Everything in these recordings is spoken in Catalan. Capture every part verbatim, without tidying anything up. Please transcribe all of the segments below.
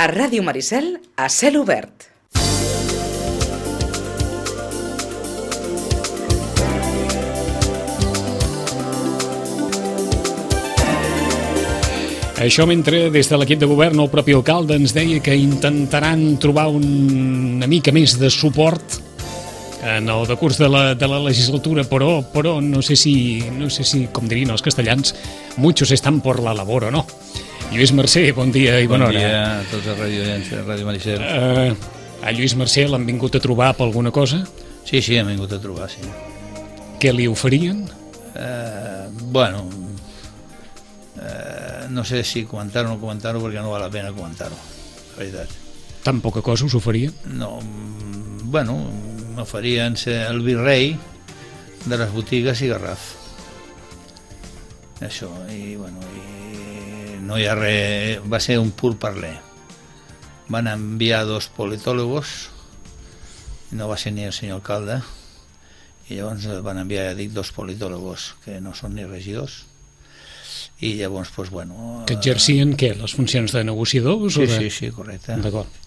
A Ràdio Maricel, a cel obert. Això mentre des de l'equip de govern el propi alcalde ens deia que intentaran trobar una mica més de suport en el decurs de la, de la legislatura, però, però no sé si, no sé si, com dirien els castellans, muchos están por la labor o no. Lluís Mercè, bon dia i bona hora. Bon dia a tots els radioients de Ràdio Maricel. Uh, a Lluís Mercè l'han vingut a trobar per alguna cosa? Sí, sí, han vingut a trobar, sí. Què li oferien? Uh, bueno, uh, no sé si comentar-ho o no comentar-ho perquè no val la pena comentar-ho, la veritat. Tan poca cosa us oferien? No, bueno, m'oferien ser el virrei de les botigues i Garraf. Això, i bueno, i no hi ha res, va ser un pur parler. Van enviar dos politòlogos, no va ser ni el senyor alcalde, i llavors van enviar, ja dic, dos politòlogos que no són ni regidors, i llavors, doncs, bueno... Que exercien, què, les funcions de negociadors? Sí, o de... sí, sí, correcte. D'acord.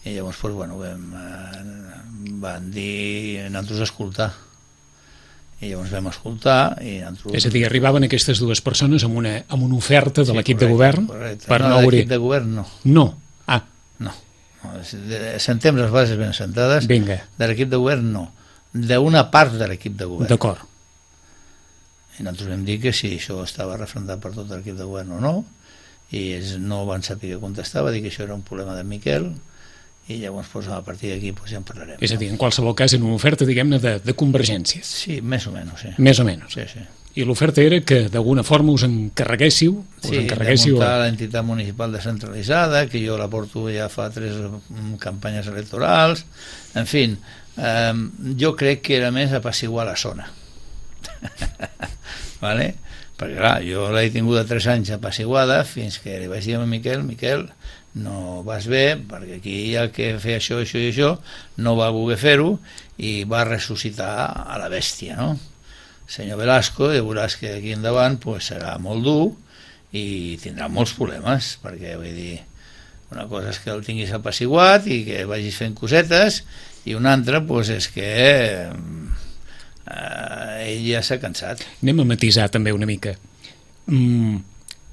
I llavors, doncs, bueno, vam, van dir nosaltres escoltar. I llavors vam escoltar i nosaltres... És a dir, arribaven aquestes dues persones amb una, amb una oferta de sí, l'equip de govern correcte. Per no, no de obrir... l'equip de govern no. No? Ah. No. no. Sentem les bases ben sentades. Vinga. De l'equip de govern no. D'una part de l'equip de govern. D'acord. I nosaltres vam dir que si això estava refrendat per tot l'equip de govern o no, i ells no van saber què contestar, va dir que això era un problema de Miquel, i llavors doncs, a partir d'aquí doncs, ja en parlarem. És a dir, en qualsevol cas, en una oferta, diguem-ne, de, de convergències. Sí, més o menys, sí. Més o menys. Sí, sí. I l'oferta era que d'alguna forma us encarreguéssiu, us sí, encarreguéssiu... de muntar l'entitat municipal descentralitzada, que jo la porto ja fa tres campanyes electorals, en fi, eh, jo crec que era més apaciguar la zona. Vale? Perquè clar, jo l'he tingut tres anys apaciguada fins que li vaig dir a Miquel, Miquel, no vas bé, perquè aquí hi ha que fer això, això i això, no va voler fer-ho i va ressuscitar a la bèstia, no? Senyor Velasco, ja veuràs que d'aquí endavant pues, serà molt dur i tindrà molts problemes, perquè vull dir, una cosa és que el tinguis apaciguat i que vagis fent cosetes, i una altra pues, és que eh, ell ja s'ha cansat. Anem a matisar també una mica. Mm,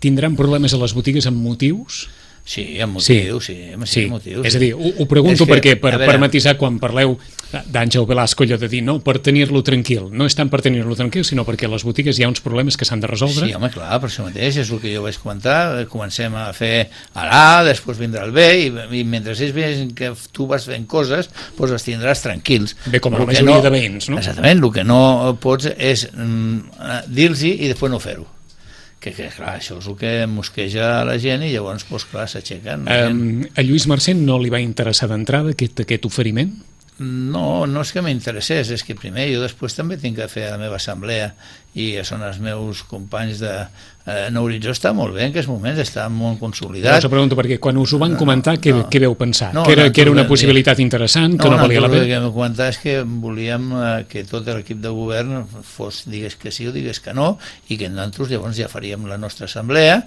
tindran problemes a les botigues amb motius? Sí, amb motius, sí, sí, sí, amb motius. És a dir, ho, ho pregunto que, perquè per, veure, per matisar quan parleu d'Àngel Velasco, allò de dir, no, per tenir-lo tranquil, no és tant per tenir-lo tranquil, sinó perquè a les botigues hi ha uns problemes que s'han de resoldre. Sí, home, clar, per això mateix, és el que jo vaig comentar, comencem a fer a l'A, després vindrà el B, i, i mentre ells veuen que tu vas fent coses, doncs els tindràs tranquils. Bé, com a la majoria no, de veïns, no? Exactament, el que no pots és mm, dir-los i després no fer-ho. Que, que clar, això és el que mosqueja a la gent i llavors, doncs, clar, s'aixequen. Um, a Lluís Mercè no li va interessar d'entrada aquest, aquest oferiment? No, no és que m'interessés, és que primer jo després també tinc que fer la meva assemblea i són els meus companys de eh, Nou Horitzó, està molt bé en aquests moments, està molt consolidat. Jo us pregunto perquè quan us ho van comentar, no, què, no, què veu pensar? No, que, era, no, que era una possibilitat interessant, que no, no valia la pena? El que vam comentar és que volíem eh, que tot l'equip de govern fos, digués que sí o digués que no, i que nosaltres llavors ja faríem la nostra assemblea,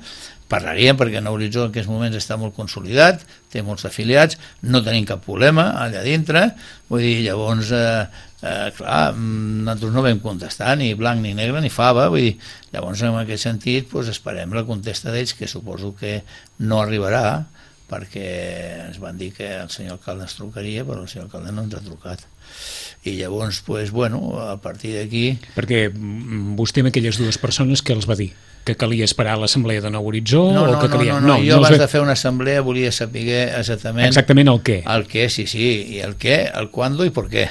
parlaríem perquè Nou Horitzó en aquests moments està molt consolidat, té molts afiliats, no tenim cap problema allà dintre, vull dir, llavors eh, eh, clar, nosaltres no vam contestar ni blanc ni negre ni fava, vull dir, llavors en aquest sentit doncs, esperem la contesta d'ells, que suposo que no arribarà, perquè ens van dir que el senyor alcalde ens trucaria, però el senyor alcalde no ens ha trucat. I llavors, pues, bueno, a partir d'aquí... Perquè vostè amb aquelles dues persones que els va dir? Que calia esperar l'assemblea de Nou Horitzó? No, o no, que calia... no, no, no, jo no abans ve... de fer una assemblea volia saber exactament... Exactament el què? El què, sí, sí, i el què, el quando i per què.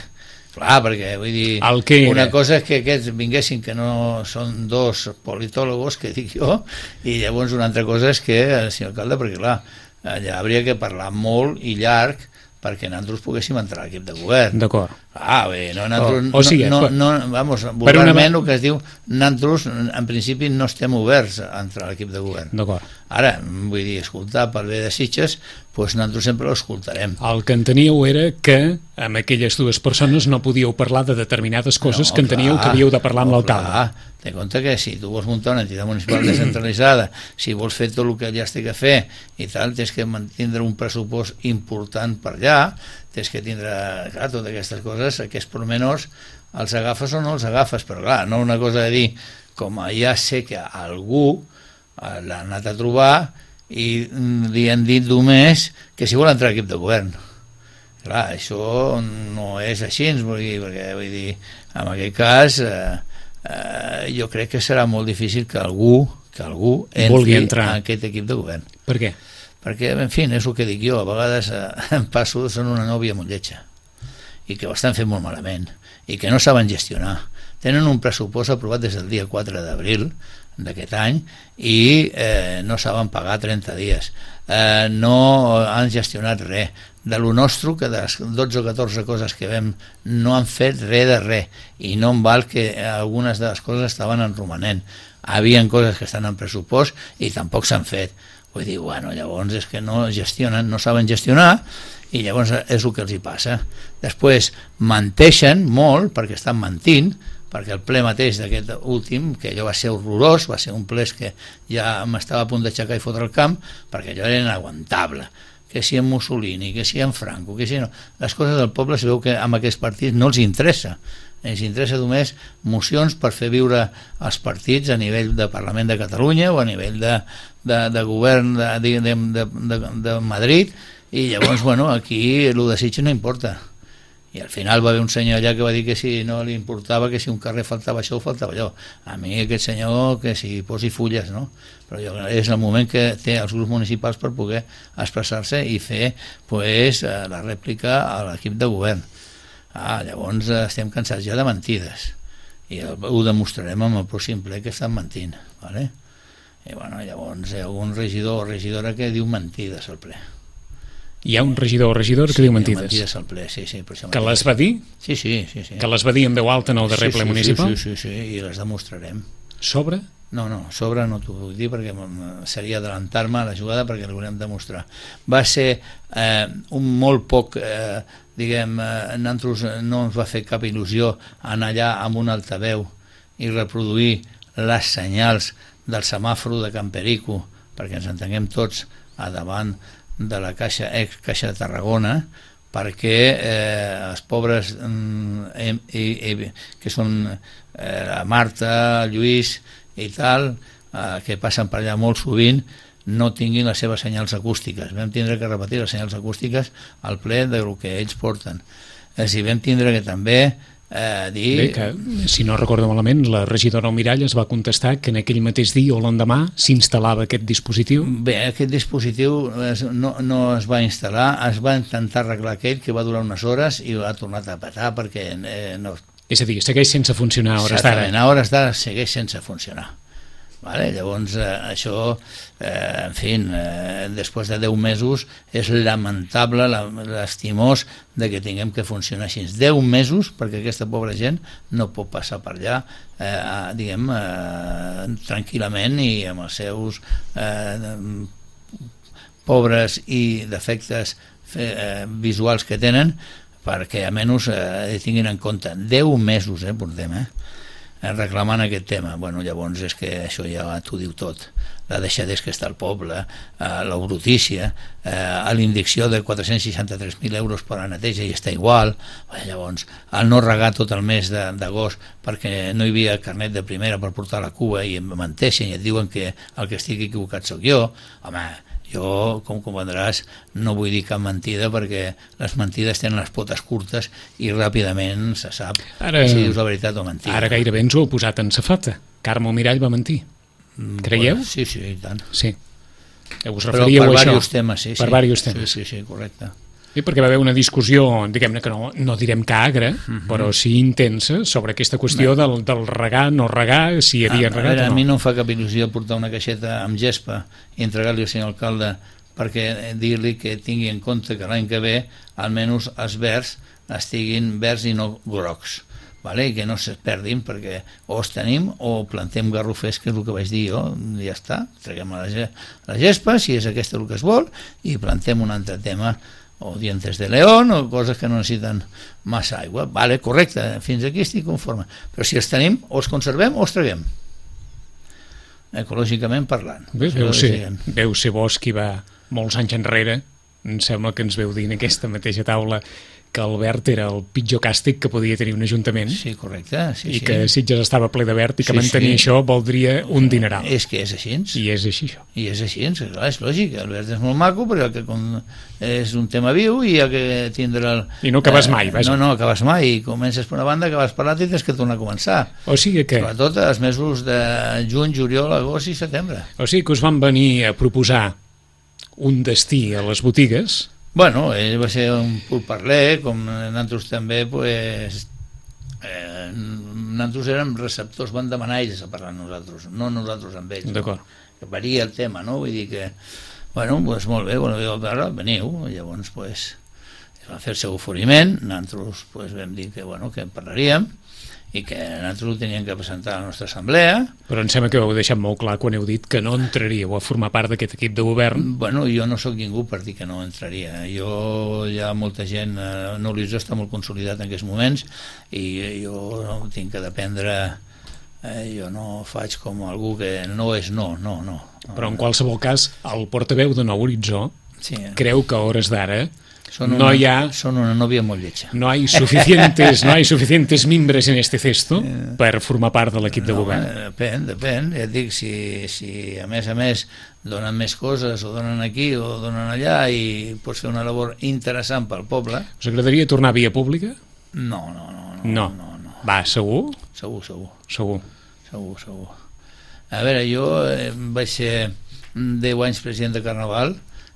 Clar, perquè vull dir, una cosa és que aquests vinguessin, que no són dos politòlogos, que dic jo, i llavors una altra cosa és que el senyor alcalde, perquè clar, allà hauria que parlar molt i llarg perquè nosaltres poguéssim entrar a l'equip de govern. D'acord. Ah, bé, no, nosaltres, o, o sigui, no, no, no, vamos, vulgarment una... el que es diu, nosaltres en principi no estem oberts a entrar a l'equip de govern. D'acord. Ara, vull dir, escoltar pel bé de Sitges, doncs nosaltres sempre l'escoltarem. El que enteníeu era que amb aquelles dues persones no podíeu parlar de determinades coses no, que enteníeu clar, que havíeu de parlar amb no, l'alcalde. Té compte que si tu vols muntar una entitat municipal descentralitzada, si vols fer tot el que allà has de fer i tal, tens que tindre un pressupost important per allà, tens que tindre, clar, totes aquestes coses, aquests pormenors, els agafes o no els agafes, però clar, no una cosa de dir, com ja sé que algú l'ha anat a trobar i li han dit només que si vol entrar a l'equip de govern. Clar, això no és així, vull dir, perquè vull dir, en aquest cas eh, eh, jo crec que serà molt difícil que algú, que algú entri a aquest equip de govern. Per què? Perquè, en fi, és el que dic jo, a vegades eh, em passo, són una nòvia molt lletja i que ho estan fent molt malament i que no saben gestionar. Tenen un pressupost aprovat des del dia quatre d'abril d'aquest any i eh, no saben pagar trenta dies, eh, no han gestionat res de lo nostre, que de les dotze o catorze coses que vam no han fet res de res i no em val que algunes de les coses estaven en romanent, havien coses que estan en pressupost i tampoc s'han fet. Vull dir, bueno, llavors és que no gestionen, no saben gestionar i llavors és el que els hi passa. Després menteixen molt perquè estan mentint, perquè el ple mateix d'aquest últim, que allò va ser horrorós, va ser un ple que ja m'estava a punt d'aixecar i fotre el camp, perquè allò era inaguantable, que si en Mussolini, que si en Franco, que si no... Les coses del poble es veu que amb aquests partits no els interessa, els interessa només mocions per fer viure els partits a nivell de Parlament de Catalunya o a nivell de, de, de govern de, de, de, de, de Madrid, i llavors, bueno, aquí el de Sitges no importa. I al final va haver un senyor allà que va dir que si no li importava, que si un carrer faltava això o faltava allò. A mi aquest senyor que si posi fulles, no? Però jo, és el moment que té els grups municipals per poder expressar-se i fer pues, la rèplica a l'equip de govern. Ah, llavors estem cansats ja de mentides i ho demostrarem amb el pròxim ple que estan mentint, vale? I bueno, llavors hi ha un regidor o regidora que diu mentides al ple. Hi ha un regidor o regidora que sí, diu mentides. mentides al ple, sí, sí, per això que les va dir? Sí, sí, sí, sí. Que les va dir en veu alta en el darrer sí, ple sí, municipal? Sí, sí, sí, sí, i les demostrarem. Sobre? No, no, sobre no t'ho puc dir perquè seria adelantar-me a la jugada perquè l'ho volem demostrar. Va ser eh, un molt poc, eh, diguem, eh, nosaltres no ens va fer cap il·lusió anar allà amb un altaveu i reproduir les senyals del semàfor de Can Perico, perquè ens entenguem tots a davant de la Caixa, ex Caixa de Tarragona, perquè eh, els pobres eh, eh, que són eh, la Marta, el Lluís i tal, eh, que passen per allà molt sovint, no tinguin les seves senyals acústiques. Vam tindre que repetir les senyals acústiques al ple del que ells porten. És a dir, vam tindre que també Eh, dir... Bé, que, si no recordo malament, la regidora Almirall es va contestar que en aquell mateix dia o l'endemà s'instal·lava aquest dispositiu. Bé, aquest dispositiu es, no, no es va instal·lar, es va intentar arreglar aquell que va durar unes hores i ha tornat a petar perquè eh, no... És a dir, segueix sense funcionar a hores d'ara. Exactament, a hores d'ara segueix sense funcionar. Vale? Llavors eh, això eh, en fi, eh, després de deu mesos és lamentable, l'estimós de que tinguem que funcionar així deu mesos perquè aquesta pobra gent no pot passar per allà eh, diguem eh, tranquil·lament i amb els seus eh, pobres i defectes eh, visuals que tenen perquè almenys eh, tinguin en compte deu mesos eh, portem eh reclamant aquest tema. Bueno, llavors és que això ja t'ho diu tot. La deixadesa que està al poble, eh, la brutícia, eh, l'indicció de quatre-cents seixanta-tres mil euros per a la neteja i està igual. Bé, llavors, el no regar tot el mes d'agost perquè no hi havia carnet de primera per portar la cua i em menteixen i et diuen que el que estic equivocat sóc jo. Home, jo, com comprendràs, no vull dir cap mentida perquè les mentides tenen les potes curtes i ràpidament se sap ara, si dius la veritat o mentida. Ara gairebé ens ho heu posat en safata. Carme Almirall va mentir. Creieu? Bueno, sí, sí, i tant. Sí. Us referíeu Però per a això? Diversos temes, sí, per sí. diversos temes. Sí, sí, sí, correcte. Sí, perquè va haver una discussió, diguem-ne que no, no direm que agra, uh-huh. però sí intensa, sobre aquesta qüestió del, del regar, no regar, si hi havia a, regat a, veure, o no. A mi no em fa cap il·lusió portar una caixeta amb gespa i entregar-li al senyor alcalde perquè dir-li que tingui en compte que l'any que ve almenys els verds estiguin verds i no grocs, vale? I que no es perdin, perquè o els tenim o plantem garrofers, que és el que vaig dir jo, i ja està, traguem la, la gespa, si és aquesta el que es vol, i plantem un altre tema, o dientes de león, o coses que no necessiten massa aigua. Vale, correcte, fins aquí estic conforme. Però si els tenim, o els conservem o els traguem. Ecològicament parlant. Bé, veu, ser, veu ser bo qui va molts anys enrere, em sembla que ens veu dir en aquesta mateixa taula que Albert era el pitjor càstig que podia tenir un ajuntament. Sí, correcte. Sí, I sí. que Sitges estava ple de verd i que Sí, mantenir sí. això voldria un dineral. És que és així. I és així, això. I és així, clar, és lògic. Albert és molt maco, però que com és un tema viu i hi ha que tindre... El, I no acabes mai, vaja. No, no, acabes mai. I comences per una banda, acabes per l'altra i tens que tornar a començar. O sigui que... Sobretot els mesos de juny, juliol, agost i setembre. O sigui que us van venir a proposar un destí a les botigues. Bueno, ell va ser un pur parler, com nosaltres també, pues, eh, nosaltres érem receptors, van demanar ells a parlar amb nosaltres, no nosaltres amb ells. D'acord. Que varia el tema, no? Vull dir que, bueno, pues molt bé, bueno, ara veniu, llavors, pues, es va fer el seu oferiment, nosaltres pues, vam dir que, bueno, que en parlaríem, i que nosaltres ho teníem que presentar a la nostra assemblea. Però em sembla que ho heu deixat molt clar quan heu dit que no entraríeu a formar part d'aquest equip de govern. Bueno, jo no sóc ningú per dir que no entraria. Jo, hi ha molta gent, eh, no l'Horitzó està molt consolidat en aquests moments i jo no tinc que dependre, eh, jo no faig com algú que no és no, no, no. Però en qualsevol cas, el portaveu de Nou Horitzó Sí. creu que a hores d'ara Són no una, hi ha... Són una nòvia molt lletja. No hay suficientes, no hay suficientes mimbres en este cesto per formar part de l'equip de No, govern. eh, depèn, depèn. Ja et dic, si, si a més a més donen més coses o donen aquí o donen allà i pots fer una labor interessant pel poble, Us agradaria tornar a via pública? no, no, no. No, No. no, no. Va, segur? Segur, segur. Segur. Segur, segur. A veure, jo eh, vaig ser deu anys president de Carnaval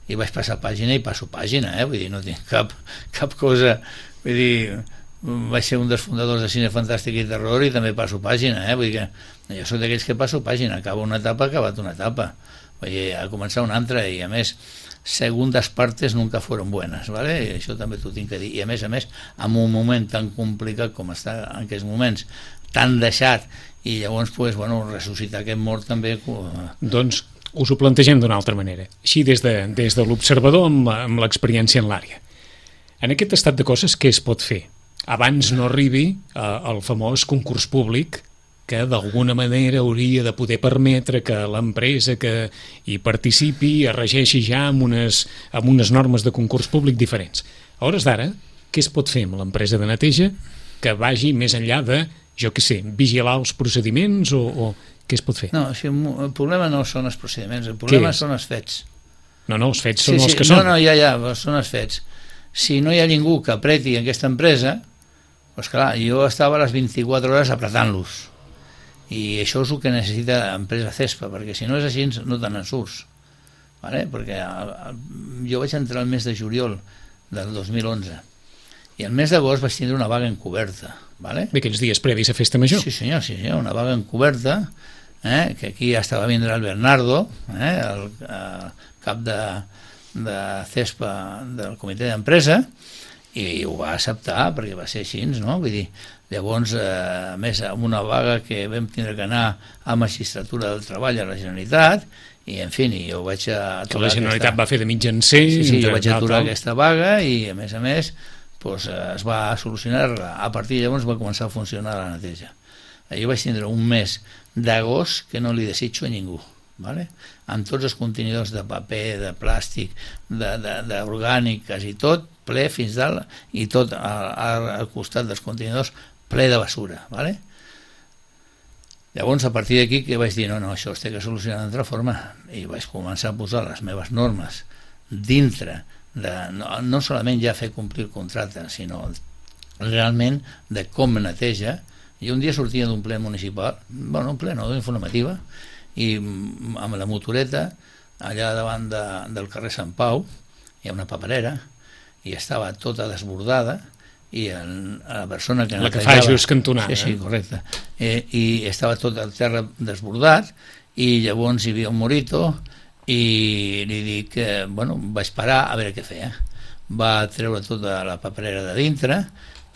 i vaig passar pàgina i passo pàgina, eh? Vull dir, no tinc cap, cap cosa... Vull dir, vaig ser un dels fundadors de Cine Fantàstic i Terror i també passo pàgina, eh? Vull dir que jo soc d'aquells que passo pàgina, acaba una etapa, ha acabat una etapa. Vull dir, ha començat una altra i, a més, segundas partes nunca fueron buenas, ¿vale? I això també t'ho tinc que dir. I, a més a més, en un moment tan complicat com està en aquests moments, tan deixat, i llavors, pues, bueno, ressuscitar aquest mort també... Doncs us ho plantegem d'una altra manera, així des de, des de l'observador amb, amb l'experiència en l'àrea. En aquest estat de coses, què es pot fer? Abans no arribi eh, el famós concurs públic que d'alguna manera hauria de poder permetre que l'empresa que hi participi es regeixi ja amb unes, amb unes normes de concurs públic diferents. A hores d'ara, què es pot fer amb l'empresa de neteja que vagi més enllà de, jo què sé, vigilar els procediments o... o què es pot fer? No, o sigui, el problema no són els procediments, el problema són els fets. No, no, els fets són sí, els sí, que són. No, no, ja, ja, són els fets. Si no hi ha ningú que apreti aquesta empresa, doncs clar, jo estava a les vint-i-quatre hores apretant-los. I això és el que necessita l'empresa Cespa, perquè si no és així no te n'en surts. Vale? Perquè el, el, jo vaig entrar el mes de juliol del dos mil onze i el mes d'agost vaig tindre una vaga encoberta. Vale? D'aquells dies previs a Festa Major. Sí senyor, sí senyor, una vaga encoberta, eh, que aquí ja estava vindre el Bernardo, eh, el, el cap de, de Cespa del comitè d'empresa, i ho va acceptar perquè va ser així, no? Vull dir, llavors, eh, a més, amb una vaga que vam tindre que anar a Magistratura del Treball a la Generalitat, i en fi, jo vaig aturar... Que la Generalitat aquesta... va fer de mitjancer... Sí, sí, jo vaig aturar tal. aquesta vaga i, a més a més, pues, es va solucionar, a partir de llavors va començar a funcionar la neteja. Jo vaig tindre un mes d'agost que no li desitjo a ningú, ¿vale? Amb tots els contenidors de paper, de plàstic, d'orgàniques i tot, ple fins dalt, i tot al, al costat dels contenidors ple de basura, ¿vale? Llavors, a partir d'aquí, que vaig dir, no, no, això es té que solucionar d'altra forma, i vaig començar a posar les meves normes dintre de, no, no solament ja fer complir el contracte, sinó realment de com neteja. I un dia sortia d'un ple municipal, bueno, un ple no, d'informativa, i amb la motoreta, allà davant de, del carrer Sant Pau, hi ha una paperera, i estava tota desbordada, i el, la persona que la que fa just cantonada. Sí, sí, correcte. Eh, I estava tot el terra desbordat, i llavors hi havia un morito, i li dic que, bueno, vaig parar a veure què feia. Va treure tota la paperera de dintre,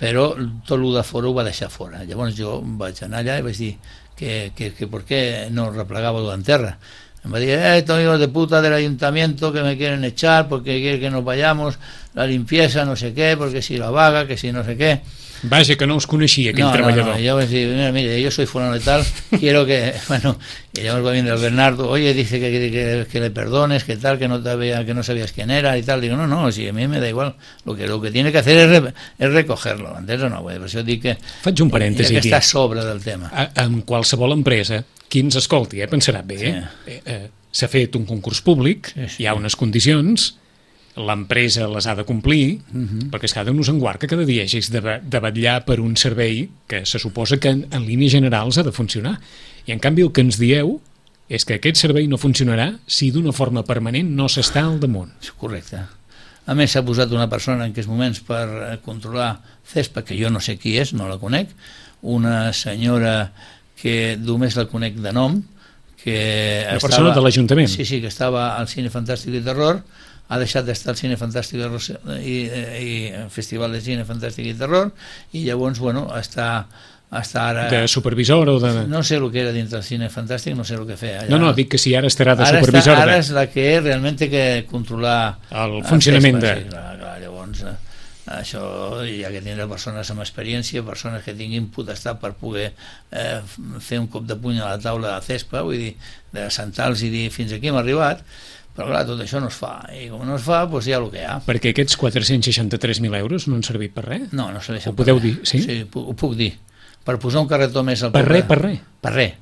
però tot el de fora ho va deixar fora. Llavors jo vaig anar allà i vaig dir que, que, que per què no replegava en terra. Em va dir, eh, estos hijos de puta del ayuntamiento que me quieren echar porque quieren que nos vayamos, la limpieza, no sé qué, porque si la vaga, que si no sé qué. Vaja, que no us coneixia aquell no, treballador. No, no, yo vaig dir, mira, mira, yo soy fulano de tal, quiero que, bueno, y llavors va venir el Bernardo, oye, dice que, que, que, que le perdones, que tal, que no, te había, que no sabías quién era y tal. Digo, no, no, si a mí me da igual, lo que, lo que tiene que hacer es, re, es recogerlo, entens o no? Per això dic que... Faig un parèntesi, ja que està a sobre del tema. A, en qualsevol empresa, qui ens escolti, eh, pensarà bé, sí. eh, eh, s'ha fet un concurs públic, sí, sí. Hi ha unes condicions, l'empresa les ha de complir, uh-huh. perquè es cada un us enguarca cada dia, és de, de vetllar per un servei que se suposa que en, en línies generals ha de funcionar. I en canvi el que ens dieu és que aquest servei no funcionarà si d'una forma permanent no s'està al damunt. Correcte. A més s'ha posat una persona en aquests moments per controlar CESPA, que jo no sé qui és, no la conec, una senyora que només la conec de nom, que una estava, persona de l'Ajuntament. Sí, sí, que estava al Cine Fantàstic i Terror, ha deixat d'estar al Cine Fantàstic i, i Festival de Cine Fantàstic i Terror, i llavors, bueno, està, està ara... De supervisor o de... No sé el que era dintre del Cine Fantàstic, no sé el que feia. Allà. No, no, dic que si ara estarà de ara supervisor... Està, ara de... és la que realment té que controlar... El funcionament el de... Sí, clar, clar, llavors... Això, ja que tindrà persones amb experiència, persones que tinguin potestat per poder eh, fer un cop de puny a la taula de CESPA, vull dir, de sentar-los i dir fins aquí hem arribat, però clar, tot això no es fa, i com no es fa, doncs hi ha el que hi ha. Perquè aquests quatre-cents seixanta-tres mil euros no han servit per res? No, no serveixen per res. Ho podeu dir, sí? Sí, ho puc dir. Per posar un carretó més al per poble. res, per res? Per res.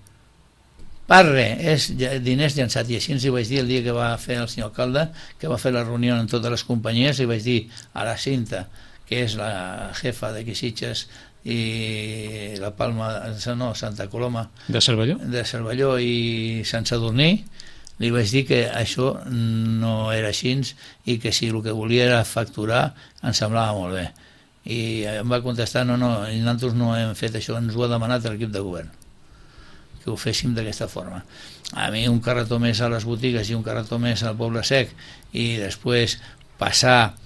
Per res, és diners llançats, i així ens hi vaig dir el dia que va fer el senyor alcalde, que va fer la reunió amb totes les companyies, i vaig dir a la Cinta, que és la jefa de Quisitges i la Palma, no, Santa Coloma de Cervelló, de Cervelló i Sant Sadurní, li vaig dir que això no era així i que si el que volia era facturar em semblava molt bé, i em va contestar no, no, nosaltres no hem fet això, ens ho ha demanat l'equip de govern que ho féssim d'aquesta forma. A mi un carretó més a les botigues i un carretó més al Poble Sec i després passar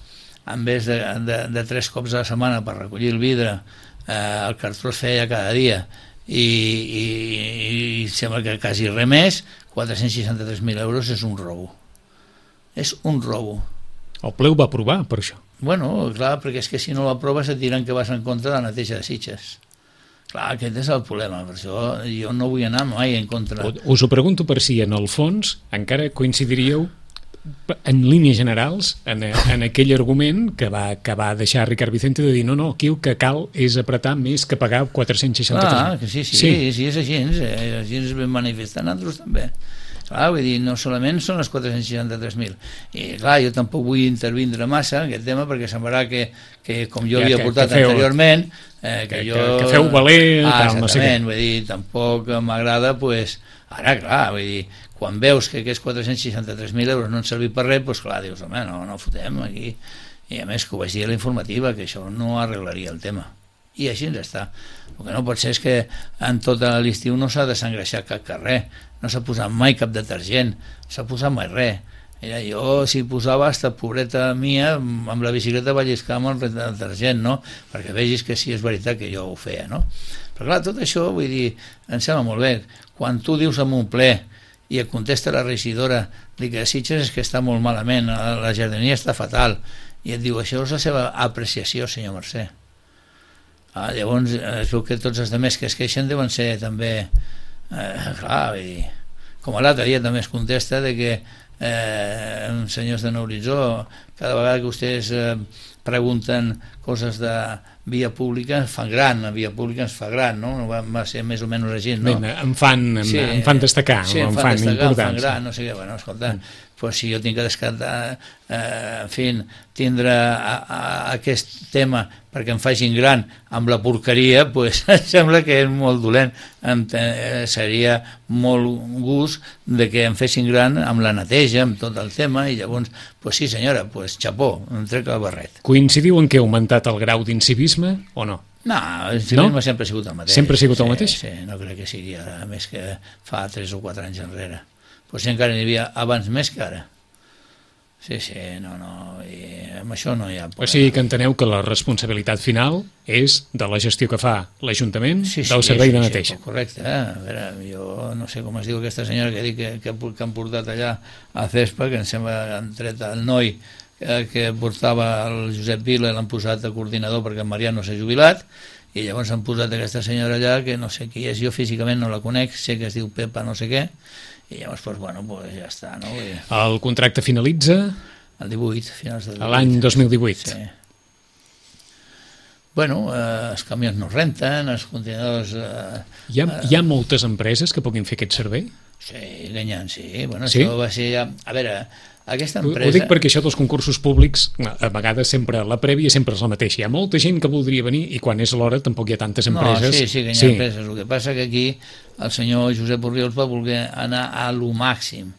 en vez de, de, de tres cops a la setmana per recollir el vidre, eh, el cartró es feia cada dia i, i, i sembla que quasi res més, quatre-cents seixanta-tres mil euros és un robo. És un robo. El ple ho va aprovar per això. Bueno, clar, perquè és que si no ho aproves et diran que vas en contra de la neteja de Sitges. Clar, aquest és el problema, per això jo no vull anar mai en contra. Us ho pregunto per si en el fons encara coincidiríeu en línies generals en, en aquell argument que va, que va deixar Ricard Vicente de dir no, no, aquí el que cal és apretar més que pagar quatre-cents seixanta-tres mil. Ah, que sí, sí, sí, sí, és així, eh, així ens vam manifestar nosaltres també. Clar, vull dir, no solament són els quatre-cents seixanta-tres mil. I clar, jo tampoc vull intervindre massa en aquest tema perquè semblarà que, que com jo ja, havia que, portat que feu, anteriorment, eh, que, que jo... Que, que feu valer... Ah, tal, no sé què. Vull dir, tampoc m'agrada, pues, ara, clar, vull dir, quan veus que aquests quatre-cents seixanta-tres mil euros no han servit per res, doncs clar, dius, home, no, no fotem aquí. I a més que ho vaig dir a la informativa, que això no arreglaria el tema. I així ens està. El que no pot ser és que en tot l'estiu no s'ha desengreixat cap carrer, no s'ha posat mai cap detergent, no s'ha posat mai res. Mira, jo si posava hasta pobreta mia amb la bicicleta va lliscar amb el detergent, no? Perquè vegis que sí és veritat que jo ho feia, no? Però clar, tot això, vull dir, em sembla molt bé. Quan tu dius en un ple i et contesta la regidora que a Sitges és que està molt malament, la jardineria està fatal, i et diu, això és la seva apreciació, senyor Mercè. Ah, llavors es veu que tots els altres que es queixen deuen ser també eh, clar, vull dir, com l'altre dia també es contesta de que eh, senyors de Nouritzó, cada vegada que vostès eh, pregunten coses de via pública ens fan gran, la via pública ens fa gran, no? No va, va ser més o menys així, no? Bé, em fan, em, sí, em fan destacar, sí, em, em fan, fan destacar, em important. fan gran, no sé què, bueno, escolta, mm. pues si jo tinc que descartar, eh, en fi, tindre a, a, aquest tema perquè em facin gran amb la porqueria, pues em sembla que és molt dolent. Em, eh, seria molt gust de que em fessin gran amb la neteja, amb tot el tema, i llavors, pues sí senyora, pues xapó, em trec el barret. Coincidiu en què ha augmentat el grau d'incivisme o no? No, el civisme no? sempre ha sigut el mateix. Sempre ha sigut el sí, mateix? Sí, no crec que sigui ara, més que fa tres o quatre anys enrere. Potser encara n'hi havia abans més que ara. Sí, sí, no, no. I amb això no hi ha problema. O sigui que enteneu que la responsabilitat final és de la gestió que fa l'Ajuntament sí, sí, del servei sí, de sí, neteja. Sí, correcte, eh? A veure, jo no sé com es diu aquesta senyora que, dic que, que, que han portat allà a Cespa, que em sembla que han tret el noi que, que portava el Josep Vila i l'han posat de coordinador perquè en Marià no s'ha jubilat, i llavors han posat aquesta senyora allà que no sé qui és, jo físicament no la conec, sé que es diu Pepa no sé què, i llavors doncs, bueno, pues ja està, no? I el contracte finalitza el divuit, finals del divuit. L'any dos mil divuit. Sí. Bueno, eh, els camions no renten, els contenidors... Eh, hi, ha, hi ha moltes empreses que puguin fer aquest servei? Sí, Ganyant, sí. Bueno, sí? Això va ser ja... A veure, aquesta Ho, empresa... ho dic perquè això dels concursos públics, a vegades sempre, la prèvia sempre és la mateixa. Hi ha molta gent que voldria venir i quan és l'hora tampoc hi ha tantes empreses. No, sí, sí, que hi ha sí. empreses. El que passa que aquí el senyor Josep Orriols va voler anar a lo màxim.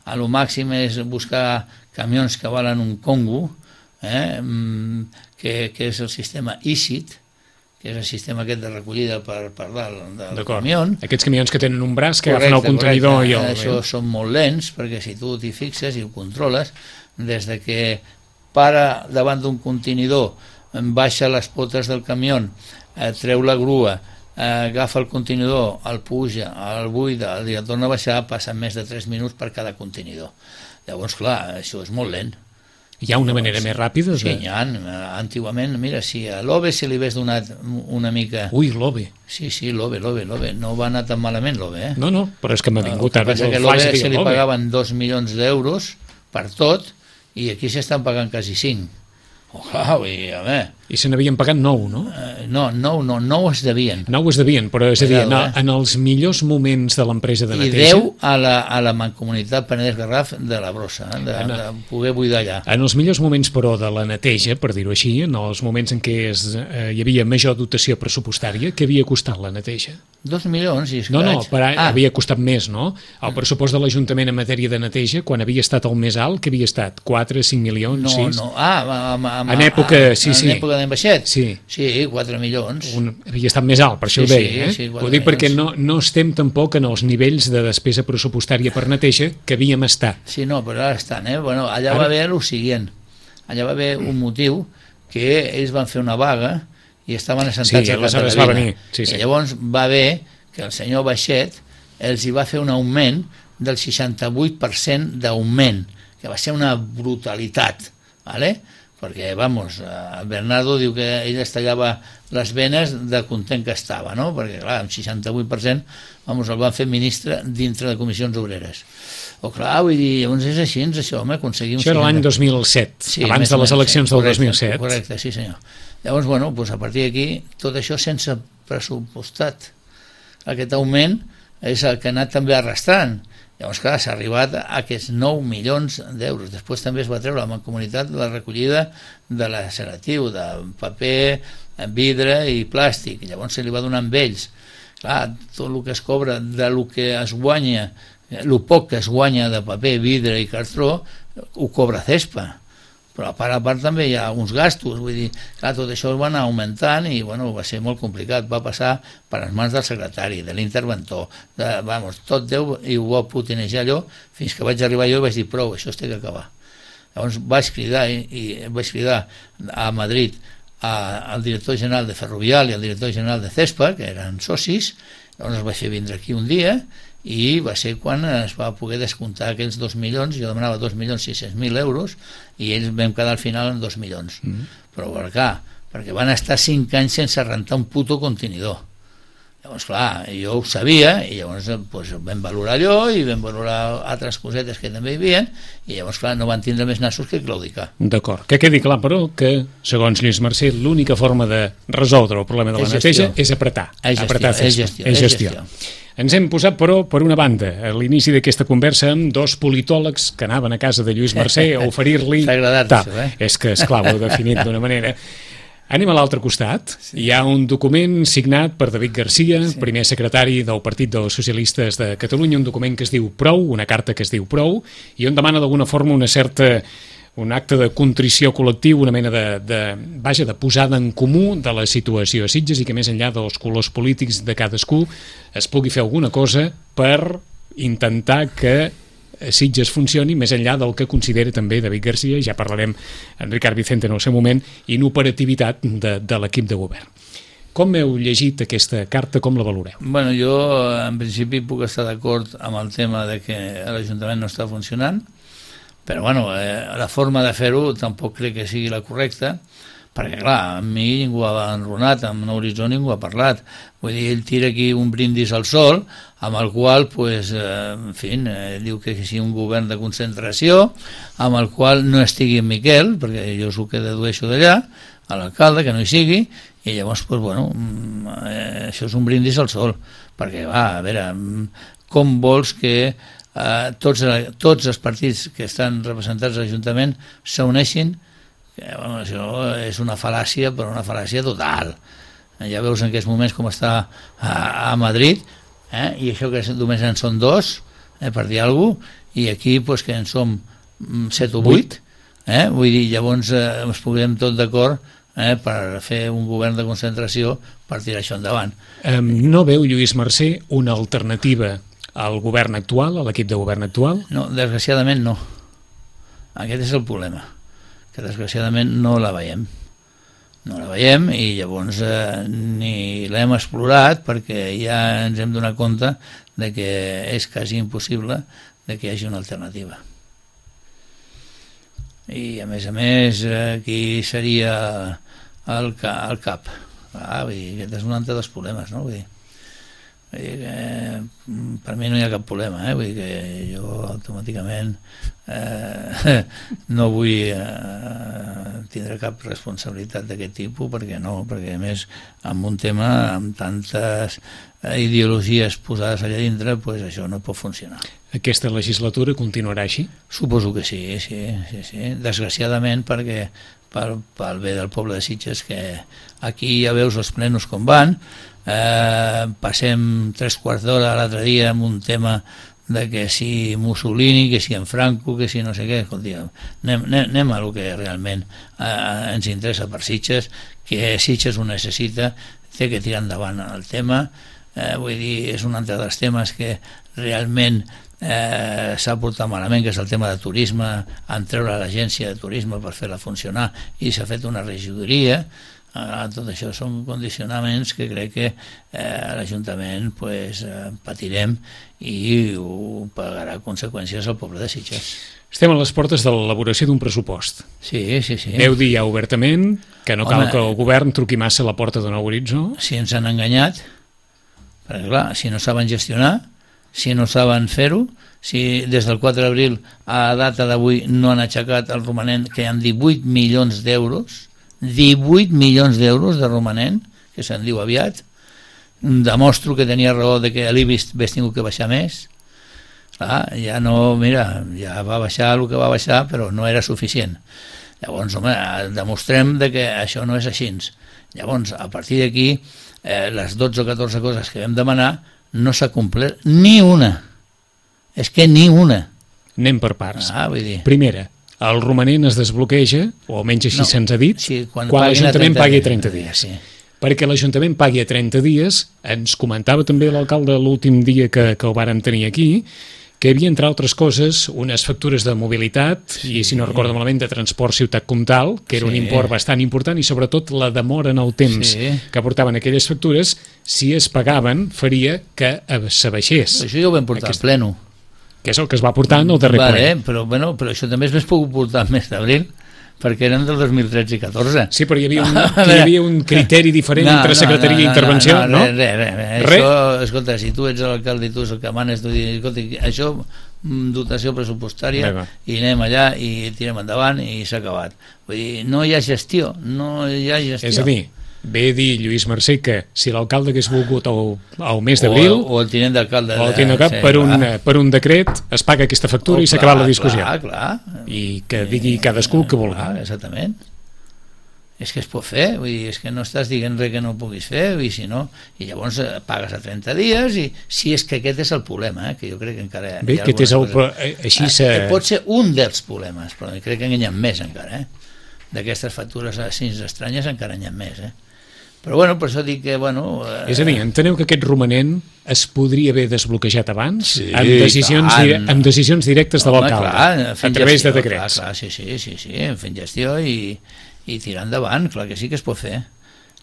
A lo màxim és buscar camions que valen un Congo, eh, que, que és el sistema I C I T, que és el sistema aquest de recollida per, per dalt del camió. Aquests camions que tenen un braç que agafen el contenidor correcte. i el... Això són molt lents, perquè si tu t'hi fixes i ho controles, des de que para davant d'un contenidor, baixa les potes del camió, eh, treu la grua, eh, agafa el contenidor, el puja, el buida, el torna a baixar, passen més de tres minuts per cada contenidor. Llavors, clar, això és molt lent. Hi ha una manera més ràpida? De... Sí, hi ha. Antigament, mira, si a l'O B E se li hagués donat una mica... Ui, l'O B E. Sí, sí, l'O B E, l'O B E, l'O B E. No va anar tan malament l'O B E, eh? No, no, però és que m'ha vingut ara el flash de dir l'O B E. Se li pagaven dos milions d'euros per tot i aquí s'estan pagant quasi cinc. Oh, clar, i a veure... I se n'havien pagat nou, no? Uh, no, nou, no, nou es devien. Nou es devien, però és a dir, en, en els millors moments de l'empresa de neteja... I deu a la, a la Mancomunitat Penedès Garraf de la Brossa, de, en, de poder buidar allà. En els millors moments, però, de la neteja, per dir-ho així, en els moments en què es, eh, hi havia major dotació pressupostària, què havia costat la neteja? Dos milions i escaig. No, no, però ah. havia costat més, no? El pressupost de l'Ajuntament en matèria de neteja, quan havia estat el més alt, que havia estat? quatre, cinc milions, no, sis? No, no, ah, amb, amb, en època, sí, en sí. En època d'en Baixet? Sí. Sí, quatre milions. Un, havia estat més alt, per això sí, ho deia. Eh? Sí, sí, ho dic perquè no, no estem tampoc en els nivells de despesa pressupostària per neteja que havíem estat. Sí, no, però ara estan. Eh? Bueno, allà ara... va haver el següent. Allà va haver un motiu que ells van fer una vaga i estaven assentats sí, a Catalavina. Va venir. Sí, sí. I llavors va haver que el senyor Baixet els hi va fer un augment del seixanta-vuit per cent d'augment, que va ser una brutalitat, ¿vale? Perquè, vamos, el Bernardo diu que ell es tallava les venes de content que estava, no? Perquè, clar, amb seixanta-vuit per cent, vamos, el van fer ministre dintre de comissions obreres. O clar, vull dir, llavors és així, això, home, aconseguim... Això era l'any dos mil set, sí, abans de les eleccions sí, del correcte, dos mil set. Correcte, sí senyor. Llavors, bueno, doncs a partir d'aquí, tot això sense pressupostat. Aquest augment és el que ha anat també arrastrant. Llavors, clar, s'ha arribat a aquests nou milions d'euros. Després també es va treure la Mancomunitat la recollida de l'aceratiu, de paper, vidre i plàstic. Llavors se li va donar amb ells. Clar, tot el que es cobra de lo que es guanya, el poc que es guanya de paper, vidre i cartró, ho cobra Cespa. Però a part a part també hi ha uns gastos, vull dir, clar, tot això va anar augmentant i bueno, va ser molt complicat, va passar per les mans del secretari, de l'interventor, de, vamos, tot Déu i ho va putinejar allò, fins que vaig arribar jo i vaig dir prou, això es té que acabar. Llavors vaig cridar, i, i vaig cridar a Madrid a, al director general de Ferrovial i al director general de Cespa, que eren socis, llavors els vaig fer vindre aquí un dia i va ser quan es va poder descomptar aquells dos milions, jo demanava dos milions sis-cents mil euros i ells vam quedar al final en dos milions. Mm. Però per clar, perquè van estar cinc anys sense rentar un puto contenidor. Llavors, clar, jo ho sabia i llavors doncs, vam valorar allò i vam valorar altres cosetes que també hi havia i llavors, clar, no van tindre més nassos que claudicar. D'acord, que quedi clar, però, que, segons Lluís Mercè, l'única forma de resoldre el problema de la neteja és apretar. És gestió, apretar és gestió, és gestió. Ens hem posat, però, per una banda, a l'inici d'aquesta conversa amb dos politòlegs que anaven a casa de Lluís Mercè a oferir-li... S'ha agradat, això, eh? És que, esclar, ho he definit d'una manera... Anem a l'altre costat. Sí. Hi ha un document signat per David Garcia, sí. primer secretari del Partit dels Socialistes de Catalunya, un document que es diu Prou, una carta que es diu Prou, i on demana d'alguna forma una certa... un acte de contrició col·lectiu, una mena de, de, vaja, de posada en comú de la situació a Sitges i que més enllà dels colors polítics de cadascú es pugui fer alguna cosa per intentar que Sitges funcioni més enllà del que considera també David Garcia, ja parlarem en Ricard Vicente en el seu moment, inoperativitat de, de l'equip de govern. Com heu llegit aquesta carta, com la valoreu? Bueno, jo en principi puc estar d'acord amb el tema de que l'Ajuntament no està funcionant, però bueno, eh, la forma de fer-ho tampoc crec que sigui la correcta, perquè clar, amb mi ningú ha enronat, amb Horitzó ningú ha parlat. Vull dir, ell tira aquí un brindis al sol, amb el qual, pues, eh, en fi, eh, diu que sigui un govern de concentració, amb el qual no estigui en Miquel, perquè jo és el que dedueixo d'allà, a l'alcalde, que no hi sigui, i llavors, pues, bueno, eh, això és un brindis al sol, perquè, va, a veure, com vols que eh, tots, tots els partits que estan representats a l'Ajuntament s'uneixin? Que, bueno, això és una fal·làcia, però una fal·làcia total. Ja veus en aquests moments com està a, a Madrid, eh? I això que només en són dos, eh, per dir alguna cosa, i aquí pues, que en som set o vuit, eh? Vull dir, llavors eh, ens posem tot d'acord eh, per fer un govern de concentració per tirar això endavant. Um, no veu, Lluís Mercè, una alternativa al govern actual, a l'equip de govern actual? No, desgraciadament no. Aquest és el problema, que desgraciadament no la veiem. No la veiem i llavors eh, ni l'hem explorat perquè ja ens hem donat compte de que és quasi impossible de que hi hagi una alternativa. I a més a més, eh, qui seria el, ca el cap? Ah, vull dir, aquest és un altre dels problemes, no? Vull dir, vull dir que, per mi no hi ha cap problema, eh? Vull dir que jo automàticament eh, no vull eh, tindre cap responsabilitat d'aquest tipus, perquè no, perquè a més amb un tema amb tantes ideologies posades allà dintre, pues això no pot funcionar. Aquesta legislatura continuarà així? Suposo que sí, sí, sí, sí. Desgraciadament, perquè pel, pel bé del poble de Sitges, que aquí ja veus els plenos com van, eh, passem tres quarts d'hora l'altre dia amb un tema de que si Mussolini, que si en Franco, que si no sé què, escolti, anem, anem, anem a lo que realment eh, ens interessa per Sitges, que Sitges ho necessita, té que tirar endavant el tema, eh, vull dir, és un altre dels temes que realment eh, s'ha portat malament, que és el tema de turisme, en treure l'agència de turisme per fer-la funcionar, i s'ha fet una regidoria. Ah, tot això són condicionaments que crec que eh, l'Ajuntament pues, eh, patirem i ho pagarà conseqüències al poble de Sitges. Estem a les portes de l'elaboració d'un pressupost. Sí, sí, sí. Veu dir ja obertament que no cal Home, que el govern truqui massa a la porta de Nou Horitzó. Si ens han enganyat, perquè clar, si no saben gestionar, si no saben fer-ho, si des del quatre d'abril a data d'avui no han aixecat el romanent, que hi ha divuit milions d'euros, divuit milions d'euros de romanent, que se'n diu aviat, demostro que tenia raó de que l'I B I S hagués tingut que baixar més. Clar, ja no, mira, ja va baixar el que va baixar, però no era suficient. Llavors, home, demostrem de que això no és així. Llavors, a partir d'aquí, eh, les dotze o catorze coses que vam demanar no s'ha complert ni una. És que ni una. Anem per parts. Ah, vull dir... Primera, el romanent es desbloqueja, o almenys així no, se'ns ha dit, sí, quan, quan l'Ajuntament pagui trenta dies. Sí. Perquè l'Ajuntament pagui a trenta dies, ens comentava també l'alcalde l'últim dia que, que ho vàrem tenir aquí, que hi havia, entre altres coses, unes factures de mobilitat, sí, i si no recordo malament, de transport Ciutat Comtal, que era sí. un import bastant important, i sobretot la demora en el temps sí. que portaven aquelles factures, si es pagaven, faria que s'abaixés. Això ja ho vam portar Aquest... al pleno. Que és el que es va portar en el darrer vale, ple. Eh? Però, bueno, però això també es pot portar al mes d'abril, perquè eren del dos mil tretze i catorze. Sí, però hi havia un, hi havia un criteri diferent no, entre secretaria no, no, i intervenció, no? No, no, res, res, res. Re? Això, escolta, si tu ets l'alcalde i tu és el que manes, tu dius, escolta, això, dotació pressupostària, Rega. I anem allà i tirem endavant i s'ha acabat. Vull dir, no hi ha gestió, no hi ha gestió. És a dir, ve a dir Lluís Mercè que si l'alcalde hagués volgut al, al mes d'abril o, o el tinent d'alcalde o el tinent d'alcalde, sí, per, un, per un decret es paga aquesta factura oh, i s'ha acabat la discussió clar, clar. I que digui cadascú el que vulgui. Clar, exactament, és que es pot fer, vull dir, és que no estàs dient res que no puguis fer, i si no, i llavors pagues a trenta dies, i si és que aquest és el problema, eh, que jo crec que encara bé, aquest és el, així se... eh, pot ser un dels problemes, però crec que n'hi ha més encara, eh? D'aquestes factures així estranyes encara n'hi ha més, eh? Però bueno, per això dic que, bueno... Eh... És a dir, enteneu que aquest romanent es podria haver desbloquejat abans Sí, amb, decisions dire amb decisions directes de l'alcalde, a través gestió, de decrets. Clar, clar, sí, sí, sí, sí, fent gestió i, i tirar endavant, clar que sí que es pot fer.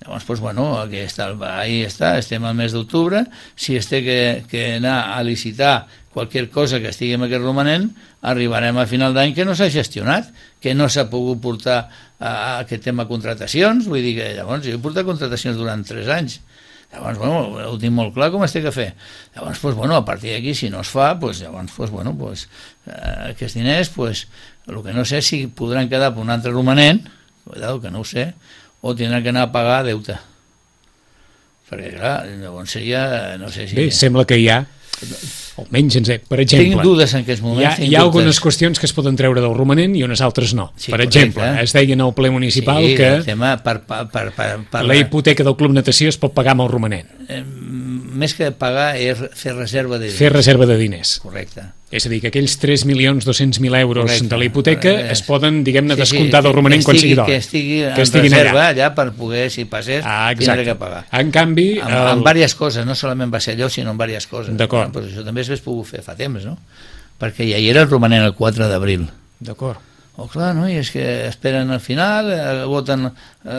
Llavors, doncs, bueno, aquí està, ahí està, estem al mes d'octubre, si es té que, que anar a licitar qualsevol cosa que estigui en aquest romanent, arribarem a final d'any que no s'ha gestionat, que no s'ha pogut portar a aquest tema contratacions, vull dir que llavors jo he portat contratacions durant tres anys, llavors, bueno, ho tinc molt clar com es té que fer. Llavors, doncs, bueno, a partir d'aquí, si no es fa, doncs, llavors, doncs, bueno, doncs, eh, aquests diners, doncs, el que no sé si podran quedar per un altre romanent, cuidado, que no ho sé, o tindran que anar a pagar deute. Perquè, clar, llavors seria, no sé si... Bé, sembla que hi ha, almenys, per exemple... Tinc dudes en aquests moments. Hi ha, hi ha algunes qüestions que es poden treure del romanent i unes altres no. Sí, per correcte. exemple, es deia en el ple municipal sí, que el tema per, per, per, per, per... la hipoteca del Club Natació es pot pagar amb el romanent. Eh, més que pagar és fer reserva de diners. Fer reserva de diners. Correcte. És a dir, que aquells tres milions dos-cents mil euros Correcte. de la hipoteca Eh, es poden, diguem-ne, sí, sí, descomptar del romanent que quan estigui, sigui d'hora. Que estigui en que estiguin reserva allà. allà per poder, si passés, Ah, tindre exacte. que pagar. En canvi... Amb, el... amb diverses coses, no solament va ser allò, sinó amb diverses coses. D'acord. Però això també s'hagués pogut fer fa temps, no? Perquè ja hi era el romanent el quatre d'abril. D'acord. Oh, clar, no? I és que esperen al final, eh, voten a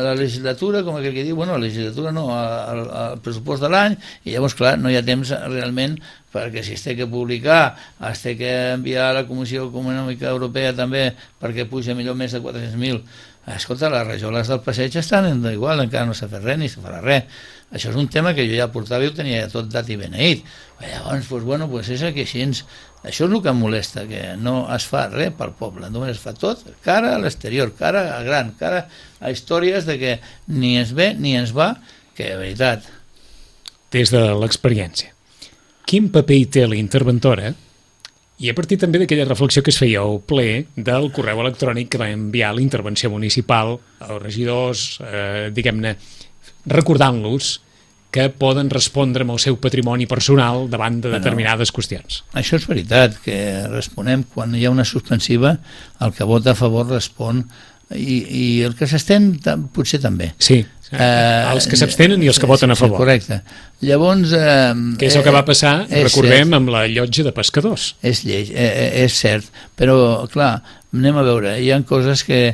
la legislatura, com aquell que diu, bueno, la legislatura no, al, al pressupost de l'any, i llavors, clar, no hi ha temps realment, perquè si es té que publicar, es té que enviar a la Comissió Econòmica Europea també perquè puja millor més de quatre-cents mil. Escolta, les rajoles del passeig estan igual, encara no s'ha fet res ni se farà res. Això és un tema que jo ja portava i ho tenia ja tot dat i beneït. Llavors, doncs, bueno, doncs és que així ens... Això és el que em molesta, que no es fa res pel poble, només es fa tot cara a l'exterior, cara a gran, cara a històries de que ni ens ve ni ens va, que de veritat... Des de l'experiència, quin paper hi té la interventora, i a partir també d'aquella reflexió que es feia al ple del correu electrònic que va enviar la intervenció municipal als regidors, eh, diguem-ne, recordant-los que poden respondre amb el seu patrimoni personal davant de determinades bueno, qüestions. Això és veritat, que responem quan hi ha una suspensiva, el que vota a favor respon, i, i el que s'estén potser també. Sí, eh, els que s'abstenen i els que voten a favor. Sí, correcte. Llavors... Eh, que és el que va passar, eh, recordem, cert. amb la llotja de pescadors. És lleig, eh, és cert, però clar, anem a veure, hi ha coses que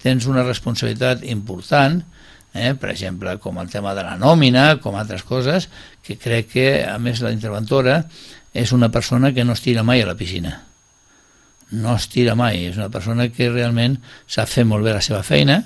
tens una responsabilitat important, Eh, per exemple, com el tema de la nòmina, com altres coses, que crec que, a més, la interventora és una persona que no es tira mai a la piscina. No es tira mai, és una persona que realment sap fer molt bé la seva feina,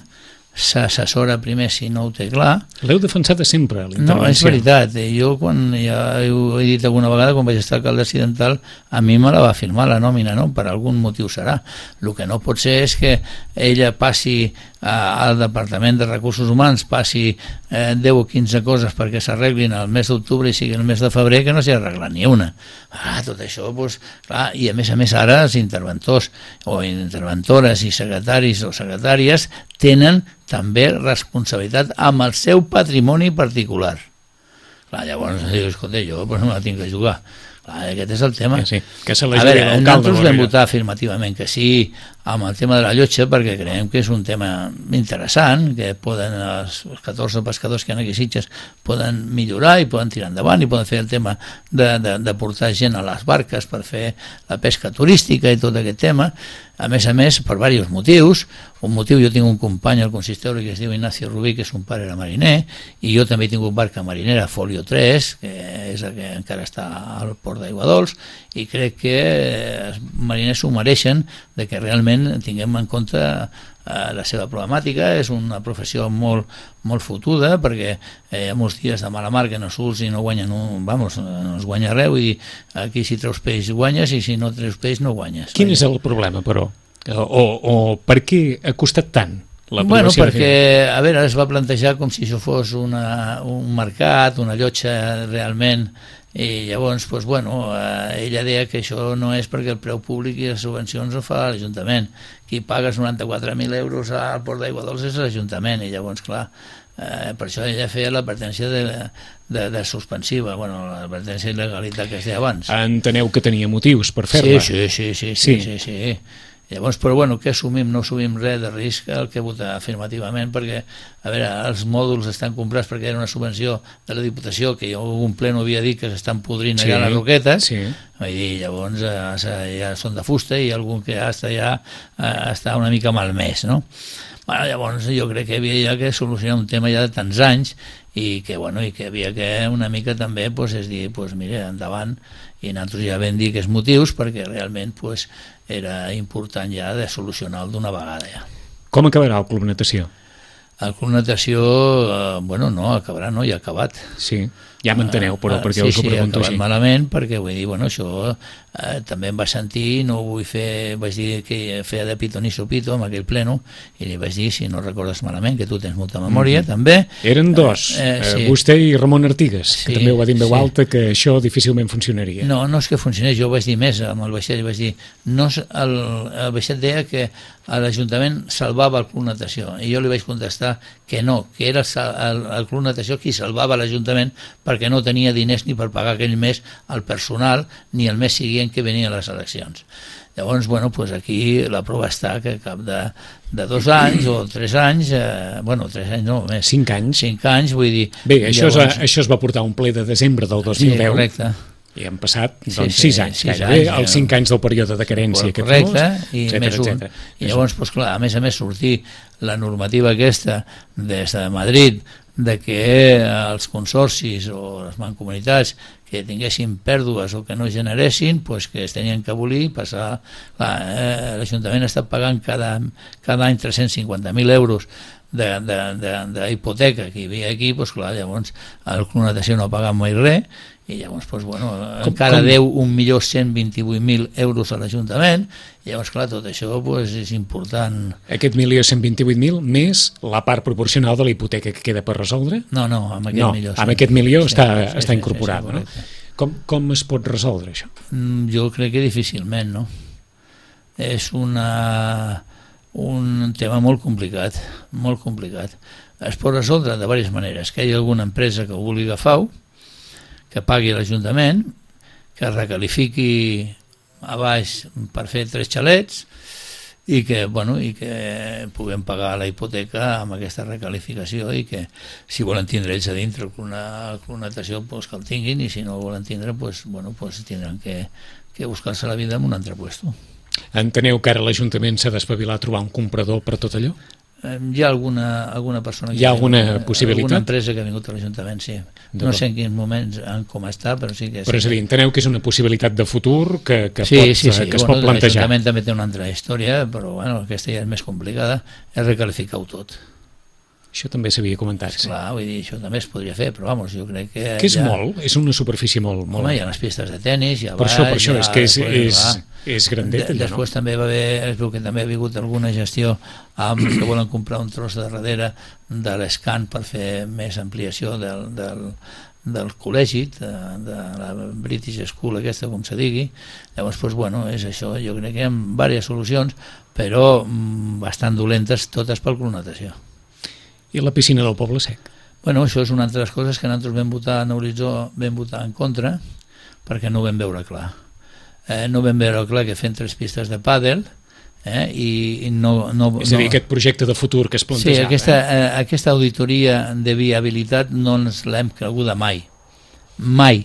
s'assessora primer si no ho té clar. L'heu defensat sempre, la intervenció. No, és veritat. Jo, quan ja ho he dit alguna vegada, quan vaig estar alcalde accidental, a mi me la va firmar la nòmina, no? Per algun motiu serà. El que no pot ser és que ella passi al Departament de Recursos Humans, passi eh, deu o quinze coses perquè s'arreglin al mes d'octubre i sigui el mes de febrer que no s'hi ha arreglat ni una. Ah, tot això, doncs, clar, i a més a més ara els interventors o interventores i secretaris o secretàries tenen també responsabilitat amb el seu patrimoni particular. Clar, llavors, escolta, jo pues, no me la tinc que jugar. Clar, aquest és el tema. Sí, sí. Que se a veure, nosaltres vam votar afirmativament que sí amb el tema de la llotja perquè creiem que és un tema interessant, que poden els catorze pescadors que hi ha aquí a Sitges poden millorar i poden tirar endavant i poden fer el tema de, de, de portar gent a les barques per fer la pesca turística i tot aquest tema. A més a més, per diversos motius. Un motiu, jo tinc un company al consistori que es diu Ignacio Rubí, que és un pare era mariner, i jo també tinc un barca marinera, Folio tres, que és el que encara està al port d'Aiguadols, i crec que els mariners s'ho mereixen de que realment tinguem en compte eh, la seva problemàtica. És una professió molt, molt fotuda, perquè eh, hi ha molts dies de mala mar que no surts i no guanyen un, vamos, no es guanya res, i aquí si treus peix guanyes i si no treus peix no guanyes. Quin és el problema, però? O, o per què ha costat tant la bueno, aprovació? Perquè, a veure, es va plantejar com si això fos una, un mercat, una llotja realment, i llavors, doncs, bueno, eh, ella deia que això no és perquè el preu públic i les subvencions ho fa l'Ajuntament. Qui pagues noranta-quatre mil euros al Port d'Aiguadols és l'Ajuntament, i llavors, clar, eh, per això ella feia l'advertència de, de, de suspensiva, bueno, l'advertència d'il·legalitat que es deia abans. Enteneu que tenia motius per fer-la? Sí, sí, sí, sí, sí, sí, sí, sí. Llavors, però bueno, què assumim? No assumim res de risc, el que vota afirmativament, perquè, a veure, els mòduls estan comprats perquè era una subvenció de la Diputació, que jo un ple no havia dit que s'estan podrint allà sí, les roquetes, sí. Vull dir, llavors eh, ja són de fusta i algun que hasta ja eh, està una mica malmès, no? Bueno, llavors jo crec que havia ja que solucionar un tema ja de tants anys i que, bueno, i que havia que una mica també pues, és dir, pues, mira, endavant, i nosaltres ja vam dir que és motius perquè realment pues, era important ja de solucionar-lo d'una vegada ja. Com acabarà el Club Natació? El Club Natació, eh, bueno, no, acabarà, no, ja ha acabat. Sí, ja m'enteneu, però perquè sí, us ho pregunto sí, així. Malament, perquè vull dir, bueno, això eh, també em va sentir, no ho vull fer, vaig dir que feia de pito ni sopito amb aquell pleno, i li vaig dir, si no recordes malament, que tu tens molta memòria, mm-hmm. també. Eren dos, eh, eh, sí. vostè i Ramon Artigas, sí, que també ho va dir en veu sí. alta, que això difícilment funcionaria. No, no és que funcionés, jo vaig dir més amb el vaixell, vaig dir, no, el, el vaixell deia que l'Ajuntament salvava el Club Natació, i jo li vaig contestar que no, que era el, el Club Natació qui salvava l'Ajuntament perquè no tenia diners ni per pagar aquell mes al personal ni el mes següent que venien les eleccions. Llavors, bueno, pues aquí la prova està que cap de, de dos anys o tres anys, eh, bueno, tres anys no, més. Cinc anys. Cinc anys, vull dir... Bé, això, llavors... es, això es va portar un ple de desembre del dos mil deu. Sí, correcte. I han passat doncs, sí, sí, sis anys, sis gairebé, anys, els cinc anys del període de carència. Correcte, famós, i etcètera, més un. Etcètera. I llavors, doncs, clar, a més a més, sortir la normativa aquesta des de Madrid de que els consorcis o les mancomunitats que tinguessin pèrdues o que no generessin, pues que es tenien que abolir, passar... Eh, l'Ajuntament està pagant cada, cada any tres-cents cinquanta mil euros d'hipoteca que hi havia aquí, pues, clar, llavors el Club Natació no ha pagat mai res, i llavors pues, bueno, com, encara com... deu un milió cent vint-i-vuit mil euros a l'Ajuntament, i llavors clar, tot això pues, és important. Aquest milió cent vint-i-vuit mil més la part proporcional de la hipoteca que queda per resoldre? No, no, amb aquest no, milió. Sí. Amb aquest milió sí, està, sí, està sí, incorporat. sí, sí, no? Com, com es pot resoldre això? Mm, jo crec que difícilment, no? És una, un tema molt complicat, molt complicat. Es pot resoldre de diverses maneres, que hi hagi alguna empresa que ho vulgui agafar, que pagui l'Ajuntament, que recalifiqui a baix per fer tres xalets i que, bueno, i que puguem pagar la hipoteca amb aquesta recalificació i que si volen tindre ells a dintre el Club Natació pues, que el tinguin, i si no el volen tindre pues, bueno, pues, tindran que, que buscar-se la vida en un altre puesto. Enteneu que ara l'Ajuntament s'ha d'espavilar a trobar un comprador per tot allò? Hi ha alguna, alguna persona que hi ha alguna vingut, possibilitat? Alguna empresa que ha vingut a l'Ajuntament, sí. No sé en quins moments, en com està, però sí que... Però és a dir, enteneu que és una possibilitat de futur que, que, sí, pot, sí, sí. que es bueno, pot plantejar. L'Ajuntament també té una altra història, però bueno, aquesta ja és més complicada, és recalificar-ho tot. Això també s'havia comentat. Sí. Clar, vull dir, això també es podria fer, però vamos, jo crec que... Que és ja... molt, és una superfície molt... molt... Home, hi ha les pistes de tenis, ja per va... això, per això, ja, és que és, és, és, és grandet. de, després no? També va haver, es veu que també ha hagut alguna gestió amb que volen comprar un tros de darrere de l'escan per fer més ampliació del, del, del col·legi, de, de la British School aquesta, com se digui. Llavors, doncs, bueno, és això, jo crec que hi ha diverses solucions, però mm, bastant dolentes, totes pel Club Natació. I la piscina del Poble Sec? Bueno, això és una altra de les coses que nosaltres vam votar en Horitzó, vam votar en contra, perquè no ho vam veure clar. Eh, no vam veure clar que fent tres pistes de pàdel, eh, i, i no, no... És a dir, no... aquest projecte de futur que es plantejava. Sí, aquesta, eh, aquesta auditoria de viabilitat no ens l'hem creguda mai. Mai.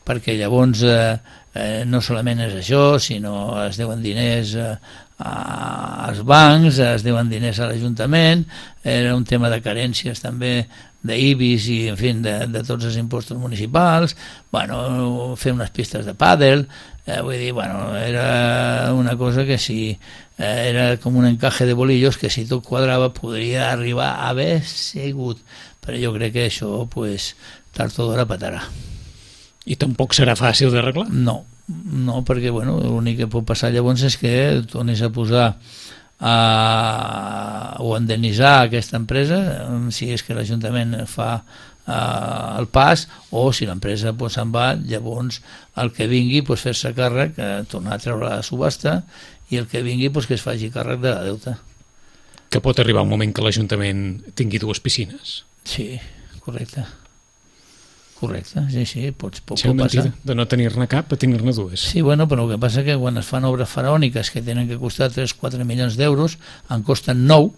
Perquè llavors eh, eh, no solament és això, sinó es deuen diners... Eh, als bancs, es deuen diners a l'Ajuntament, era un tema de carències també d'I B I S i en fi, de, de tots els impostos municipals, bueno, fer unes pistes de pàdel, eh, vull dir, bueno, era una cosa que si eh, era com un encaje de bolillos que si tot quadrava podria arribar a haver sigut, però jo crec que això pues, tard o d'hora patarà. I tampoc serà fàcil d'arreglar? No. No, perquè bueno, l'únic que pot passar llavors és que tornis a posar a, o a indemnitzar aquesta empresa si és que l'Ajuntament fa a, el pas, o si l'empresa pues, se'n va, llavors el que vingui pues, fer-se càrrec, eh, tornar a treure la subhasta, i el que vingui pues, que es faci càrrec de la deuta. Que pot arribar un moment que l'Ajuntament tingui dues piscines? Sí, correcte. Correcte, sí, sí, pot, pot, Això és pot passar. mentida, de no tenir-ne cap a tenir-ne dues. Sí, bueno, però el que passa que quan es fan obres faraòniques que tenen que costar tres o quatre milions d'euros, en costen nou,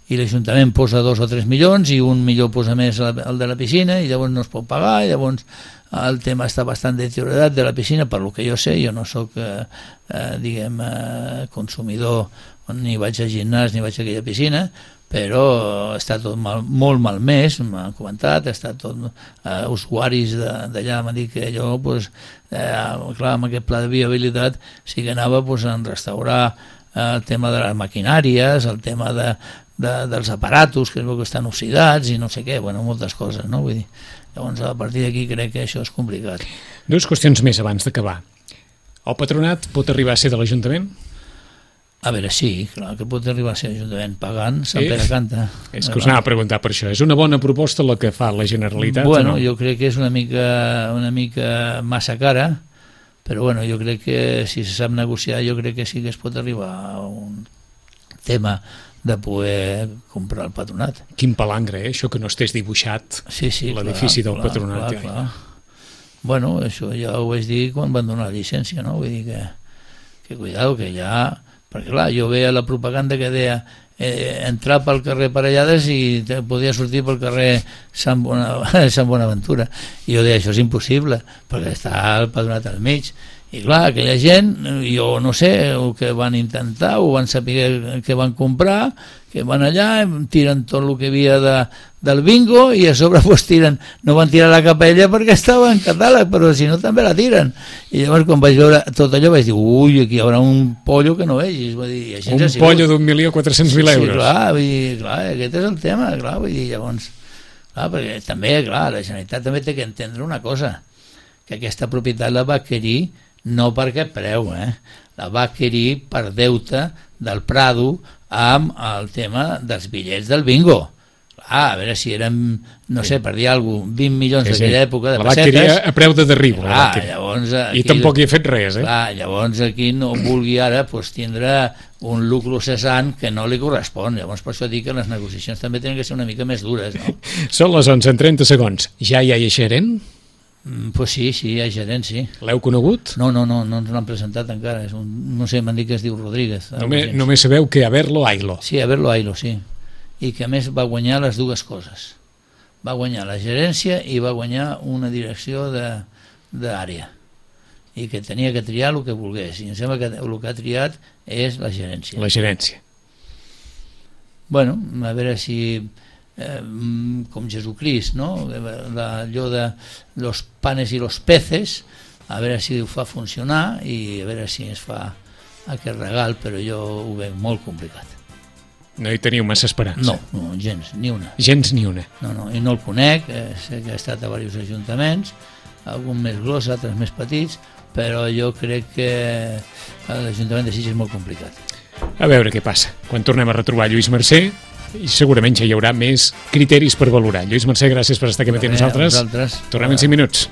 i l'Ajuntament posa dos o tres milions i un milió posa més el de la piscina i llavors no es pot pagar, i llavors el tema està bastant deteriorat de la piscina, per lo que jo sé, jo no sóc eh, eh, diguem eh, consumidor, ni vaig al gimnàs ni vaig a aquella piscina, però està tot mal, molt malmès, m'han comentat, està tot eh, usuaris d'allà m'han dit que allò, pues, eh, clar, amb aquest pla de viabilitat sí que anava pues, a restaurar eh, el tema de les maquinàries, el tema de De, dels aparatos que es veu que estan oxidats i no sé què, bueno, moltes coses, no? Vull dir, llavors a partir d'aquí crec que això és complicat. Dues qüestions més abans d'acabar. El patronat pot arribar a ser de l'Ajuntament? A veure, sí, clar que pot arribar a ser l'Ajuntament pagant, Sant Pere canta. És que us anava a preguntar per això. És una bona proposta la que fa la Generalitat? Bueno, o no? jo crec que és una mica, una mica massa cara, però bueno, jo crec que si se sap negociar, jo crec que sí que es pot arribar a un tema de poder comprar el patronat. Quin palangre, eh? Això que no estés dibuixat sí, sí, l'edifici del clar, patronat. Clar, clar. Bueno, això ja ho vaig dir quan van donar la llicència, no? Vull dir que, que cuidado, que ja... Perquè clar, jo veia la propaganda que deia eh, entrar pel carrer Parellades i te, podia sortir pel carrer Sant, Bona, Sant Bonaventura. I jo deia, això és impossible, perquè està el patronat al mig. I clar, aquella gent, jo no sé el que van intentar, ho van saber que van comprar, que van allà, tiren tot el que havia de, del bingo i a sobre pues, tiren, no van tirar la capella perquè estava en catàleg, però si no també la tiren. I llavors quan vaig veure tot allò vaig dir, ui, aquí hi haurà un pollo que no vegis. Vull dir, així un pollo d'un milió quatre-cents mil euros. Sí, clar, vull dir, clar, aquest és el tema, clar, vull dir, llavors, clar, perquè també, clar, la Generalitat també té que entendre una cosa, que aquesta propietat la va adquirir no per aquest preu, eh? La va adquirir per deute del Prado amb el tema dels bitllets del bingo. Ah, a veure si eren, no sé, per dir alguna cosa, vint milions sí, sí. d'aquella època de la pessetes. La va adquirir a preu de derribo. Clar, llavors, aquí, I tampoc hi ha fet res, eh? Clar, llavors aquí no vulgui ara pues, tindre un lucro cessant que no li correspon. Llavors per això dic que les negociacions també tenen que ser una mica més dures, no? Són les onze en trenta segons. Ja hi ha gerent? Mm, pues sí, sí, hi ha gerent, sí. L'heu conegut? No, no, no, no ens l'han presentat encara. És un, no sé, m'han dit que es diu Rodríguez. Només, només sabeu que Haberlo Ailo. Sí, Haberlo Ailo, sí. I que a més va guanyar les dues coses. Va guanyar la gerència i va guanyar una direcció d'àrea. I que tenia que triar el que volgués. I em sembla que el que ha triat és la gerència. La gerència. Bueno, a veure si... Eh, com Jesucrist, no? Allò de los panes i los peces, a veure si ho fa funcionar i a veure si es fa aquest regal, però jo ho veig molt complicat. No hi teniu massa esperança? No, no, gens, ni una. Gens ni una. No, no, i no el conec, eh, sé que ha estat a diversos ajuntaments, algun més gros, altres més petits, però jo crec que l'Ajuntament de Sitges és molt complicat. A veure què passa. Quan tornem a retrobar Lluís Mercè, i segurament ja hi haurà més criteris per valorar. Lluís Mercè, gràcies per estar aquí amb nosaltres. Tornem en cinc minuts.